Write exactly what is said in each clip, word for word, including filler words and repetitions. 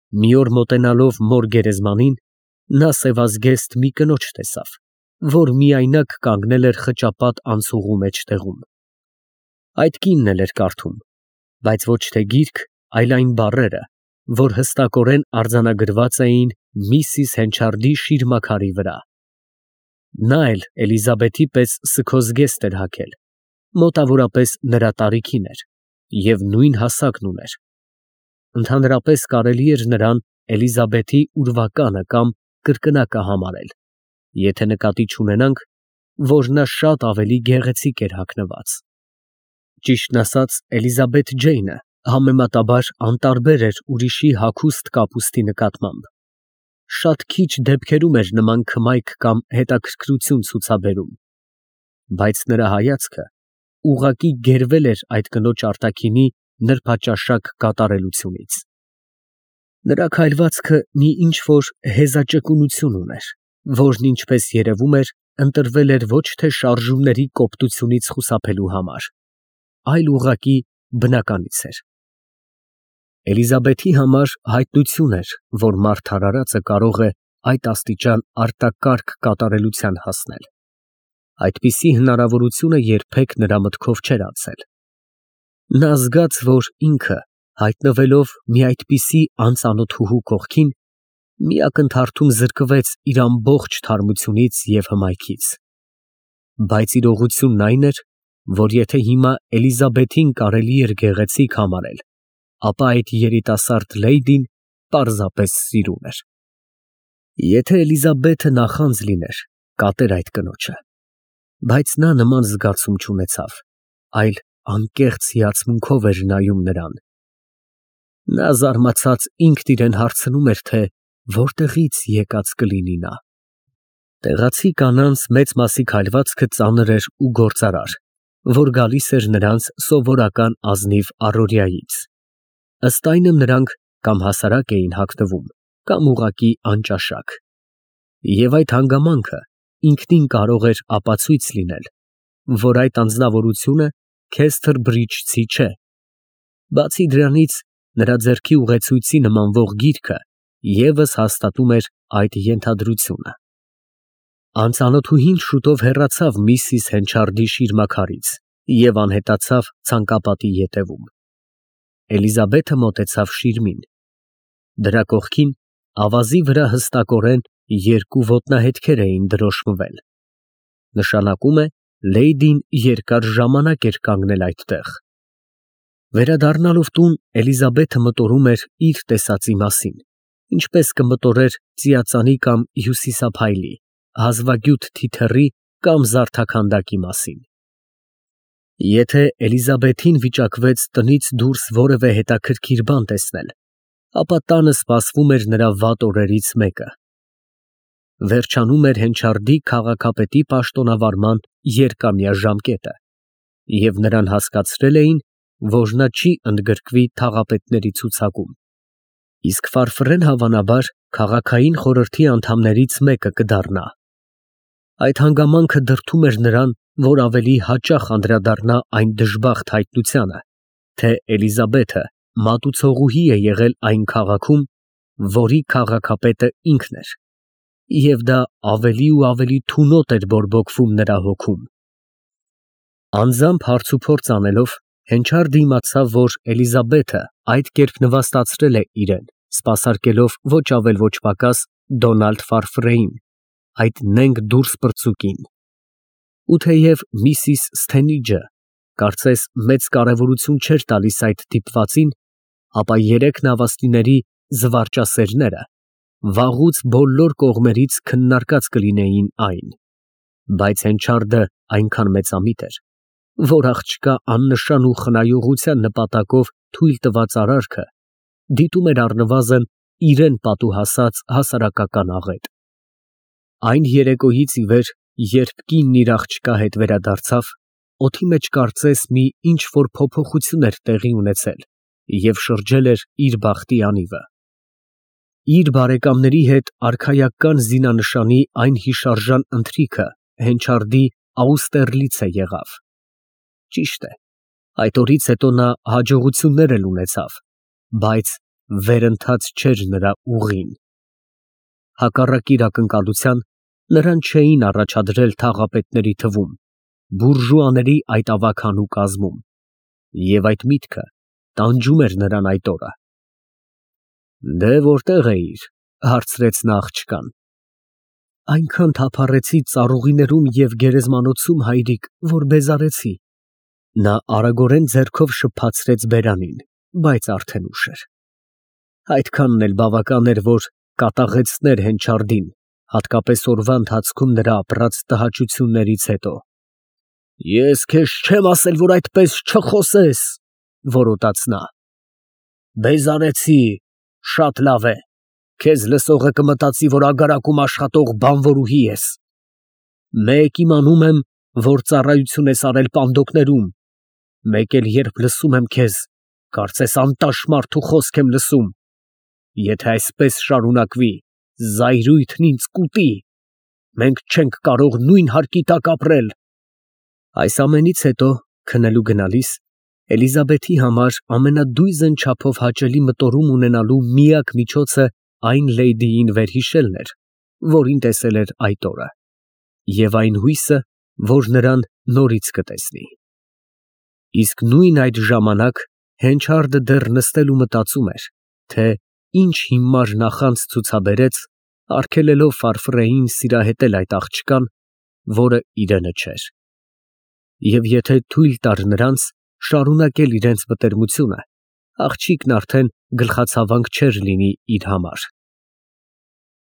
Մի օր մոտենալով մոր գերեզմանին, նա սևազգեստ մի կնոջ տեսավ, որ միայնակ կանգնել էր խճապատ անցուղու մեջտեղում. այդ կինն էլ էր կարդում, բայց ոչ թե գիրք, այլ այն բառերը, որ հստակորեն արձանագրված էին միսիս Հենչարդի շիրմաքարի վրա։ Նա էլ Էլիզաբեթի պես սգոզգեստ էր հագել, մոտավորապես նրա տարիքին էր և նույն հասակն ուներ։ Ընդհանրապես կարելի էր նրան Էլիզաբեթի ուրվականը կամ կրկնակը համարել, եթե նկատի չունենանք, որ նա շատ ավելի գեղեցիկ էր հագնված։ Ճիշտն ասած, Էլիզաբեթ Ջեյնը համեմատաբար անտարբեր էր ուրիշի հագուստ կապուստի նկատմամբ, շատ քիչ դեպքերում էր նման քմայք կամ հետաքրքրություն ցուցաբերում, բայց նրա հայացքը ուղղակի գերվել էր այդ կնոջ արտաքինի նրբաճաշակ կատարելությունից։ Նրա քայլվածքը մի ինչ֊որ հեզաճկունություն ուներ, որն, ինչպես երևում էր, ընտրվել էր ոչ թե շարժումների կոպտությունից խուսափելու համար, այլ ուղղակի բնականից էր։ Էլիզաբեթի համար հայտնություն էր, որ մարդ արարածը կարող է այդ աստիճան արտակարգ կատարելության հասնել։ Այդպիսի հնարավորությունը երբեք նրա մտքով չէր անցել։ Նա զգաց, որ ինքը, հայտնվելով մի այդպիսի անծանոթուհու կողքին, մի ակնթարթում զրկվեց իր ամբողջ թարմությունից և հմայքից։ Բայց իրողությունն այն էր, որ եթե հիմա Էլիզաբեթին կարելի էր գեղեցիկ համարել, ապա այդ երիտասարդ լեյդին պարզապես սիրուն էր։ Եթե Էլիզաբեթը նախանձ լիներ, կատեր այդ կնոջը, բայց նա նման զգացում չունեցավ, այլ անկեղծ հիացմունքով էր նայում նրան։ Նա զարմացած ինքն իրան հարցնում էր, թե որտեղից եկած կլինի նա։ Տեղացի կանանց մեծ մասի քայլվածքը ծանր էր ու գործարար, որ գալիս էր նրանց սովորական ազնիվ առօրյայից։ Ըստ այնմ նրանք կամ հասարակ էին հագնվում, կամ ուղղակի անճաշակ։ Եվ այդ հանգամանքը ինքնին կարող էր ապացույց լինել, որ այդ անձնավորությունը Քեսթր Բրիջցի չէ։ Բացի դրանից, նրա ձեռքի ուղեցույցի նմանվող գիրքը ևս հաստատում էր այդ ենթադրությունը։ Անծանոթուհին շուտով հեռացավ միսիս Հենչարդի շիրմաքարից և անհետացավ ցանկապատի ետևում։ Էլիզաբեթը մոտեցավ շիրմին։ Դրա կողքին ավազի վրա հստակորեն երկու ոտնահետքեր էին դրոշմվել։ Նշանակում է, լեյդին երկար ժամանակ էր կանգնել այդտեղ։ Վերադառնալով տուն, Էլիզաբեթը մտորում էր իր տեսածի մասին, ինչպես կմտորեր ծիածանի կամ հյուսիսափայլի, հազվագյուտ թիթեռի կամ զարդաքանդակի մասին։ Եթե Էլիզաբեթին վիճակվեց տնից դուրս որևէ հետաքրքիր բան տեսնել, ապա տանը սպասվում էր նրա վատ օրերից մեկը։ Վերջանում էր Հենչարդի քաղաքապետի պաշտոնավարման երկամյա ժամկետը, և նրան հասկացրել էին, որ նա չի ընդգրկվի թաղապետների ցուցակում, իսկ ֆարֆռեն հավանաբար քաղաքային խորհրդի անդամներից մեկը կդառնա։ Այդ հանգամանքը դրդում էր նրան, որ ավելի հաճախ անդրադառնա այն դժբախտ հայտնությանը, թե Էլիզաբեթը մատուցողուհի է եղել այն քաղաքում, որի քաղաքապետը ինքն էր, և դա ավելի ու ավելի թունոտ էր բորբոքվում նրա հոգում։ Անձամբ հարցուփորձ անելով, Հենչարդը իմացավ, որ Էլիզաբեթը այդ կերպ նվաստացրել է իրեն, սպասարկելով ոչ ավել ոչ պակաս Դոնալդ Ֆարֆրեին, այդ նենգ դուրսպրծուկին։ Ու թեև միսիս Սթենիջը կարծես մեծ կարևորություն չէր տալիս այդ դիպվածին, ապա երեք նավաստիների զվարճասերները վաղուց բոլոր կողմերից քննարկած կլինեին այն, բայց Հենչարդը այնքան մեծամիտ էր, որ աղջկա աննշան ու խնայողության նպատակով թույլ տված արարքը դիտում էր առնվազն իրան պատուհասած հասարակական աղետ։ Այն երեկոյից ի վեր, երբ կինն իր աղջկա հետ վերադարձավ, օդի մեջ կարծես մի ինչ֊որ փոփոխություն էր տեղի ունեցել և շրջել էր իր բախտի անիվը։ Իր բարեկամների հետ արքայական զինանշանի այն հիշարժան ընթրիքը Հենչարդի Աուստերլիցը եղավ։ Ճիշտ է, այդ օրից հետո նա հաջողություններ էլ ունեցավ, բայց վերընթաց չէր նրա ուղին։ Հակառակ իր ակնկալության, նրան չէին առաջադրել թաղապետների թվում, բուրժուաների այդ ավագանու կազմում, և այդ միտքը տանջում էր նրան այդ օրը։ Դե որտե՞ղ էիր, հարցրեց նա աղջկան։ Այնքան թափառեցի ծառուղիներում և գերեզմանոցում, հայրիկ, որ բեզարեցի։ Նա արագորեն ձեռքով շփացրեց բերանին, բայց արդեն ուշ էր։ Այդքանն էլ բավական էր, որ կատաղեցներ Հենչարդին, հատկապես օրվա ընթացքում նրա ապրած տհաճություններից հետո։ Ես քեզ չեմ ասել, որ այդպես չխոսես, որոտաց նա։ Բեզարեցի, շատ լավ է, քեզ լսողը կմտածի, որ ագարակում աշխատող բանվորուհի ես։ Մեկ իմանում եմ, որ ծառայություն ես արել պանդոկներում, մեկ էլ երբ լսում եմ քեզ, կարծես անտաշ մարդու խոսք եմ լսում։ Եթե այսպես շարունակվի, զայրույթն ինձ կուտի, մենք չենք կարող նույն հարկի տակ ապրել։ Այս ամենից հետո, քնելու գնալիս, Էլիզաբեթի համար ամենադույզն չափով հաճելի մտորում ունենալու միակ միջոցը այն լեյդիին վերհիշելն էր, որին տեսել էր այդ օրը, և այն հույսը, որ նրան նորից կտեսնի։ Իսկ նույն այդ ժամանակ Հենչարդը դեռ նստել ու մտածում էր, թե ինչ հիմար նախանձ ցուցաբերեց, արգելելով Ֆարֆրեին սիրահետել այդ աղջկան, որը իրենը չէր, և եթե թույլ տար նրանց շարունակել իրենց մտերմությունը, աղջիկն արդեն գլխացավանք չէր լինի իր համար։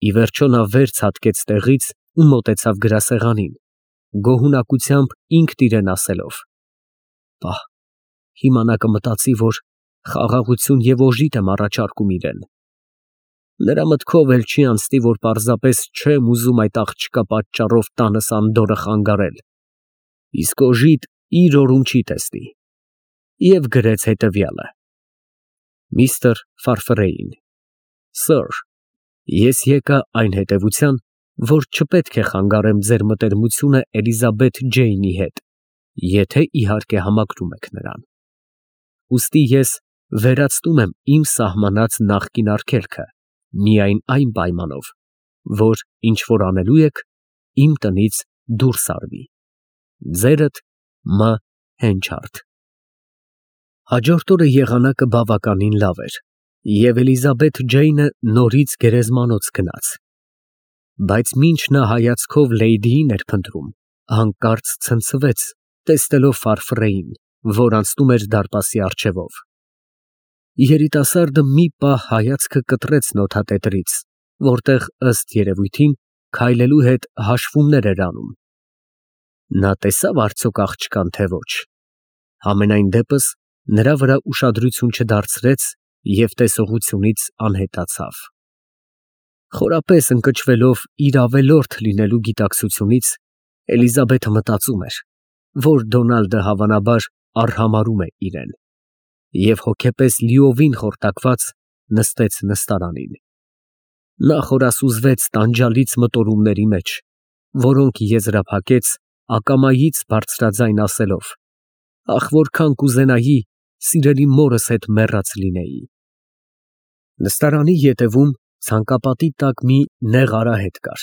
Ի վերջո նա վեր ցատկեց տեղից ու մոտեցավ գրասեղանին, գոհունակությամբ ինքն իրեն ասելով. «Պահ, հիմա նա կմտածի, որ խաղաղություն և օժիտ եմ առաջարկում իրեն։ Նրա մտքով էլ չի անցնի, որ պարզապես չեմ ուզում այդ աղջկա պատճառով տանս անդորրը խանգարել, իսկ օժիտ իր օրում չի տեսնի», և գրեց հետևյալը. Միստր Ֆարֆրեին, Սըր, ես եկա այն հետևության, որ չպետք է խանգարեմ ձեր մտերմությունը Էլիզաբեթ Ջեյնի հետ, եթե իհարկե համակրում եք նրան։ Ուստի ես վերացնում եմ իմ սահմանած նախկին արգելքը միայն այն պայմանով, որ ինչ որ անելու եք, իմ տնից դուրս արվի։ Ձերդ Մ. Հենչարդ։ Հաջորդ օրը եղանակը բավականին լավ էր, և Էլիզաբեթ Ջեյնը նորից գերեզմանոց գնաց, բայց մինչ նա հայացքով լեյդիին էր փնտրում, հանկարծ ցնցվեց, տեսնելով Ֆարֆրեին, որ անցնում էր դարպասի առջևով։ Երիտասարդը մի պահ հայացքը կտրեց նոթատետրից, որտեղ, ըստ երևույթին, քայլելու հետ հաշվումներ էր անում։ Նա տեսա՞վ արդյոք աղջկան, թե ոչ։ Համենայն դեպս նրա վրա ուշադրություն չդարձրեց և տեսողությունից անհետացավ։ Խորապես ընկճվելով իր ավելորդ լինելու գիտակցությունից, Էլիզաբեթը մտածում էր, որ Դոնալդը հավանաբար արհամարհում է իրեն, և հոգեպես լիովին խորտակված նստեց նստարանին։ Նա խորասուզվեց տանջալից մտորումների մեջ, որոնք եզրափակեց ակամայից բարձրաձայն ասելով. «Ախ, որքան կուզենայի սիրելի մորս հետ մեռած լինեի»։ Նստարանի ետևում ցանկապատի տակ մի նեղ արահետ կար,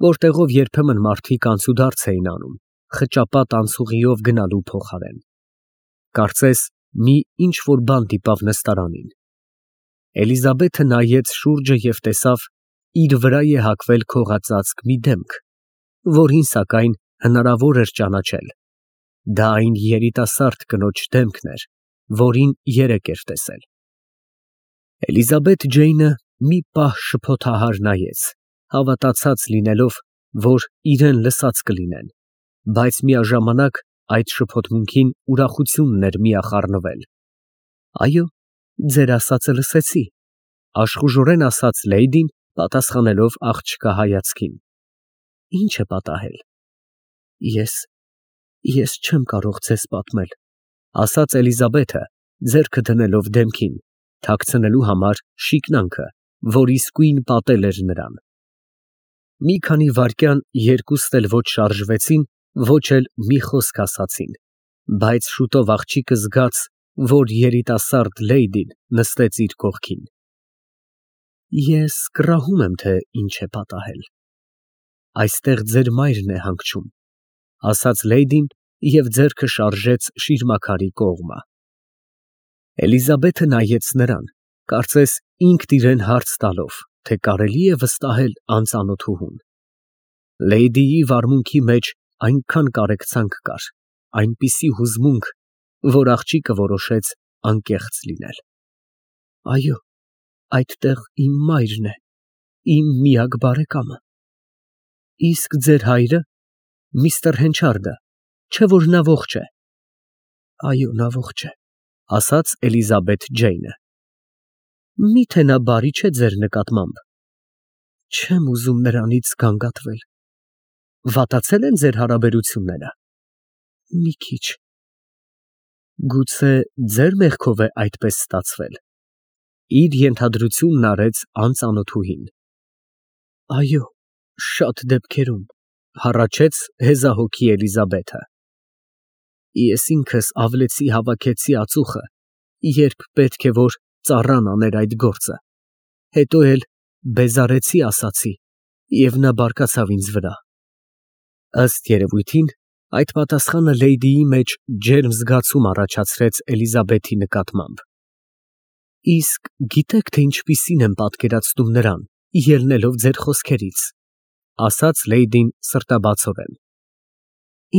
որտեղով երբեմն մարդիկ անցուդարձ էին անում, խճապատ անցուղիով գնալու փոխարեն։ Կարծես մի ինչ֊որ բան դիպավ նստարանին։ Էլիզաբեթը նայեց շուրջը և տեսավ իր վրա է հագվել քողածածկ մի դեմք, որին, սակայն, հնարավոր էր ճանաչել։ Դա այն երիտասարդ կնոջ դեմքն էր, որին երեկ էր տեսել։ Էլիզաբեթ Ջեյնը մի պահ շփոթահար նայեց, հավատացած լինելով, որ իրեն լսած կլինեն, բայց միաժամանակ այդ շփոթմունքին ուրախությունն էր միախառնվել։ Այո, ձեր ասածը լսեցի, աշխուժորեն ասաց լեյդին, պատասխանելով աղջկա հայացքին։ Ինչ է պատահել։ Ես, ես չեմ կարող ձեզ պատմել, ասաց Էլիզաբեթը, ձեռքը դնելով դեմքին, թաքցնելու համար շիկնանքը, որ իսկույն պատել էր նրան։ Մի քանի վայրկյան երկուստ էլ ոչ շարժվեցին, ոչ էլ մի խոսք ասացին, բայց շուտով աղջիկը զգաց, որ երիտասարդ լեյդին նստեց իր կողքին։ Ես կռահում եմ, թե ինչ է պատահել։ Այստեղ ձեր մայրն է հանգչում, ասաց լեյդին և ձեռքը շարժեց շիրմաքարի կողմը։ Էլիզաբեթը նայեց նրան, կարծես ինքն իրեն հարց տալով, թե կարելի է վստահել անծանոթուհուն։ Լեյդիի վարմունքի մեջ այնքան կարեկցանք կար, այնպիսի հուզմունք, որ աղջիկը որոշեց անկեղծ լինել։ Այո, այդտեղ իմ մայրն է, իմ միակ բարեկամը։ Իսկ ձեր հայրը, միստր Հենչարդը, չէ՞ որ նա ողջ է։ Այո, նա ողջ է, ասաց Էլիզաբեթ Ջեյնը։ Մի՞թե նա բարի չէ ձեր նկատմամբ։ Չեմ ուզում նրանից գանգատվել։ Վատացե՞լ են ձեր հարաբերությունները։ Մի քիչ։ Գուցե ձեր մեղքով է այդպես ստացվել։ Իր ենթադրությունն արեց անծանոթուհին։ Այո, շատ դեպքերում, հառաչեց հեզահոգի Էլիզաբեթը։ Ես ինքս ավլեցի հավաքեցի ածուխը, երբ պետք է որ ծառան աներ այդ գործը, հետո էլ բեզարեցի ասացի, և նա բարկացավ ինձ վրա։ Ըստ երևույթին, այդ պատասխանը լեյդիի մեջ ջերմ զգացում առաջացրեց Էլիզաբեթի նկատմամբ։ Իսկ գիտեք, թե ինչպիսին եմ պատկերացնում նրան, ելնելով ձեր խոսքերից, ասաց լեյդին սրտաբացորեն։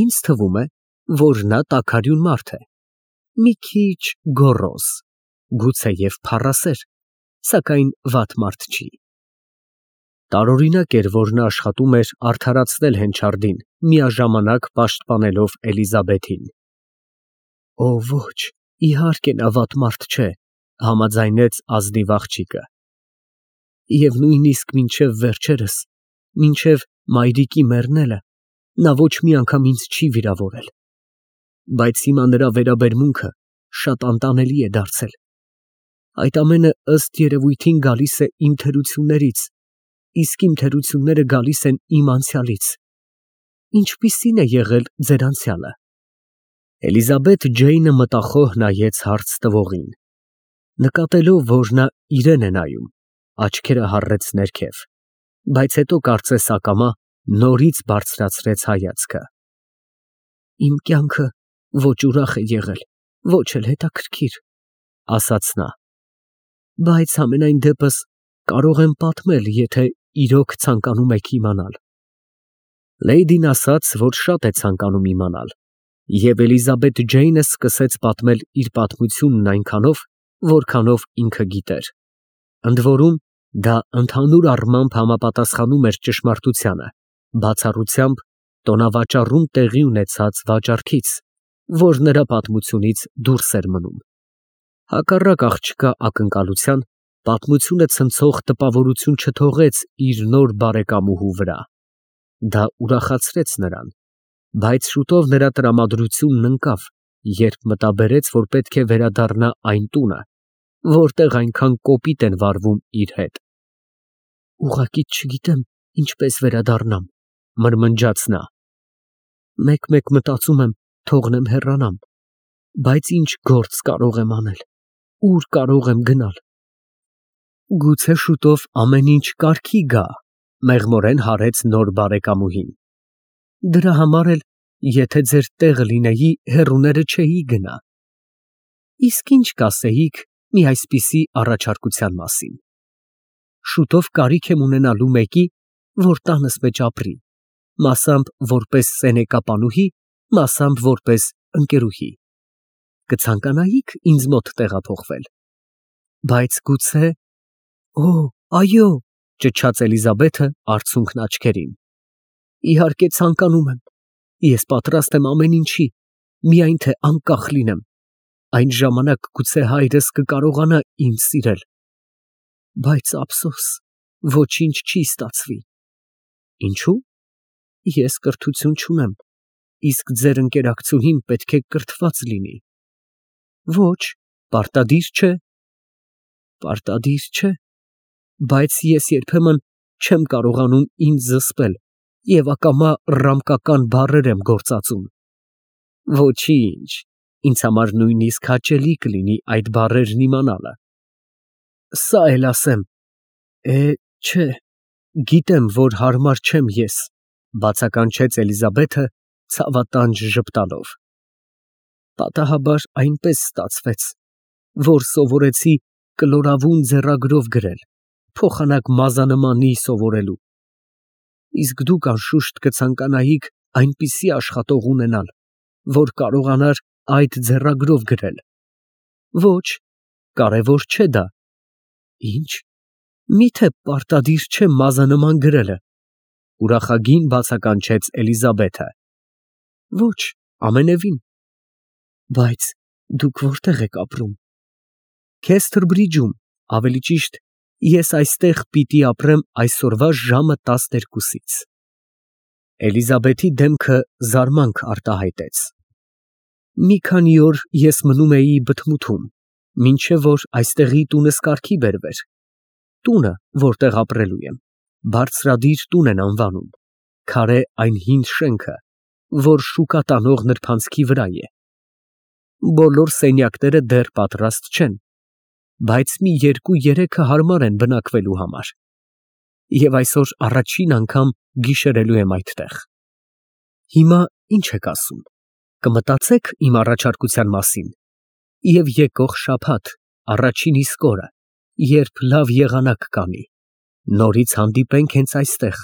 Ինձ թվում է, որ նա տաքարյուն մարդ է, մի քիչ գոռոզ, գուցեև փառասեր, սակայն վատ մարդ չի։ Տարօրինակ էր, որ նա աշխատում էր արդարացնել Հենչարդին, միաժամանակ պաշտպանելով Էլիզաբեթին։ Օ, ոչ, իհարկե նա վատ մարդ չէ, համաձայնեց ազնիվ աղջիկը։ Եվ նույնիսկ մինչև վերջերս, մինչև մայրիկի մեռնելը, նա ոչ մի անգամ ինձ չի վիրավորել։ Բայց հիմա նրա վերաբերմունքը շատ անտանելի է դարձել։ Այդ ամենը ըստ երևույթին գալիս է իմ թերություններից, իսկ իմ թերությունները գալիս են իմ անցյալից։ Ինչպիսի՞ն է եղել ձեր անցյալը։ Էլիզաբեթ Ջեյնը մտախոհ նայեց հարց տվողին։ Նկատելով, որ նա իրեն է նայում, աչքերը հառեց ներքև, բայց հետո կարծես ակամա նորից բարձրացրեց հայացքը։ Իմ կյանքը ոչ ուրախ է եղել, ոչ էլ հետաքրքիր, ասաց նա։ Բայց համենայն դեպս կարող եմ պատմել, եթե իրոք ցանկանում եք իմանալ։ Լեյդին ասաց, որ շատ է ցանկանում իմանալ, և Էլիզաբեթ Ջեյնը սկսեց պատմել իր պատմությունն այնքանով, որքանով ինքը գիտեր։ Ընդ որում, դա ընդհանուր առմամբ համապատասխանում էր ճշմարտությանը, բացառությամբ տոնավաճառում տեղի ունեցած վաճառքից, որ նրա պատմությունից դուրս էր մնում։ Հակառակ աղջկա ակնկալության, պատմությունը ցնցող տպավորություն չթողեց իր նոր բարեկամուհու վրա։ Դա ուրախացրեց նրան, բայց շուտով նրա տրամադրությունն ընկավ, երբ մտաբերեց, որ պետք է վերադառնա այն տունը, որտեղ այնքան կոպիտ են վարվում իր հետ։ Ուղղակի չգիտեմ ինչպես վերադառնամ, մրմնջաց նա։ Մեկ֊մեկ մտածում եմ թողնեմ հեռանամ, բայց ինչ գործ կարող եմ անել, ուր կարող եմ գնալ։ Գուցե շուտով ամեն ինչ կարգի գա, մեղմորեն հարեց նոր բարեկամուհին։ Դրա համար էլ, եթե ձեր տեղը լինեի, հեռուները չէի գնա։ Իսկ ինչ կասեիք մի այսպիսի առաջարկության մասին։ Շուտով կարիք եմ ունենալու մեկի, որ տանս մեջ ապրի, մասամբ որպես սենեկապանուհի, մասամբ որպես ընկերուհի։ Կցանկանայի՞ք ինձ մոտ տեղափոխվել։ Բայց գուցե… Օ, այո, ճչաց Էլիզաբեթը արցունքն աչքերին։ Իհարկե ցանկանում եմ։ Ես պատրաստ եմ ամեն ինչի, միայն թե անկախ լինեմ։ Այն ժամանակ գուցե հայրս կկարողանա ինձ սիրել։ Բայց ափսոս, ոչինչ չի ստացվի։ Ինչու՞։ Ես կրթություն չունեմ, իսկ ձեր ընկերակցուհին պետք է կրթված լինի։ Ոչ, պարտադիր չէ։ Պարտադիր չէ, բայց ես երբեմն չեմ կարողանում ինձ զսպել և ակամա ռամկական բառեր եմ գործածում։ Ոչինչ, ինձ համար նույնիսկ հաճելի կլինի այդ բառերն իմանալը։ Սա էլ ասեմ, Է, չէ, գիտեմ, որ հարմար չեմ ես, բացականչեց Էլիզաբեթը ցավատանջ ժպտալով։ Պատահաբար այնպես ստացվեց, որ սովորեցի կլորավուն ձեռագրով գրել, փոխանակ մազանմանի սովորելու։ Իսկ դուք անշուշտ կցանկանայիք այնպիսի աշխատող ունենալ, որ կարողանար այդ ձեռագրով գրել։ Ոչ, կարևոր չէ դա։ Ինչ, միթե պարտադիր չէ մազանման գրելը, ուրախագին բացականչեց Էլիզաբեթը։ Ոչ, ամենևին։ Բայց դուք որտե՞ղ եք ապրում։ Քեսթրբրիջում, ավելի ճիշտ, ես այստեղ պիտի ապրեմ այսօրվա ժամը տասներկուսից։ Էլիզաբեթի դեմքը զարմանք արտահայտեց։ Մի քանի օր ես մնում էի բթմութում, մինչև որ այստեղի տունս կարգի բերվեր։ Տունը, որտեղ ապրելու եմ, բարձրադիր տուն են անվանում, քարե այն հին շենքը, որ շուկա տանող նրբանցքի վրա է։ Բոլոր սենյակները դեռ պատրաստ չեն, բայց մի երկու֊երեքը հարմար են բնակվելու համար։ Եվ այսօր առաջին անգամ գիշերելու եմ այդտեղ։ Հիմա ինչ եք ասում, կմտածե՞ք իմ առաջարկության մասին, և եկող շաբաթ, առաջին իսկ օրը, երբ լավ եղանակ կանի, նորից հանդիպենք հենց այստեղ,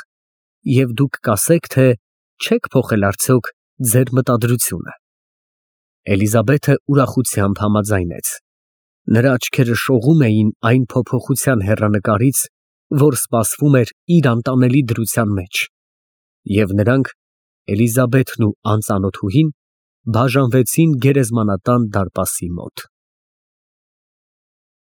և դուք կասեք, թե չե՞ք փոխել արդյոք ձեր մտադրությունը։ Էլիզաբեթը ուրախությամբ համաձայնեց։ Նրա աչքերը շողում էին այն փոփոխության հեռանկարից, որ սպասվում էր իր անտանելի դրության մեջ, և նրանք, Էլիզաբեթն ու անծանոթուհին, բաժանվեցին գերեզմանատան դարպասի մոտ։